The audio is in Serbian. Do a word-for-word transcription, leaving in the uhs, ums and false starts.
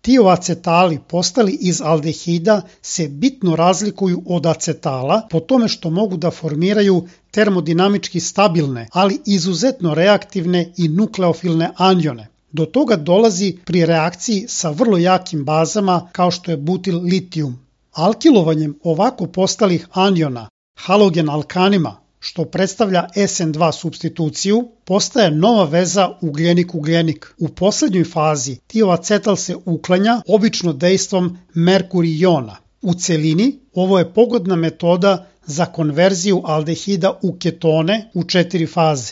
Tioacetali postali iz aldehida se bitno razlikuju od acetala po tome što mogu da formiraju termodinamički stabilne, ali izuzetno reaktivne i nukleofilne anione. Do toga dolazi pri reakciji sa vrlo jakim bazama kao što je butil litijum. Alkilovanjem ovako postalih aniona halogen alkanima, što predstavlja es en dva supstituciju, postaje nova veza ugljenik-ugljenik. U poslednjoj fazi tioacetal se uklanja obično dejstvom merkurijona. U celini ovo je pogodna metoda za konverziju aldehida u ketone u četiri faze.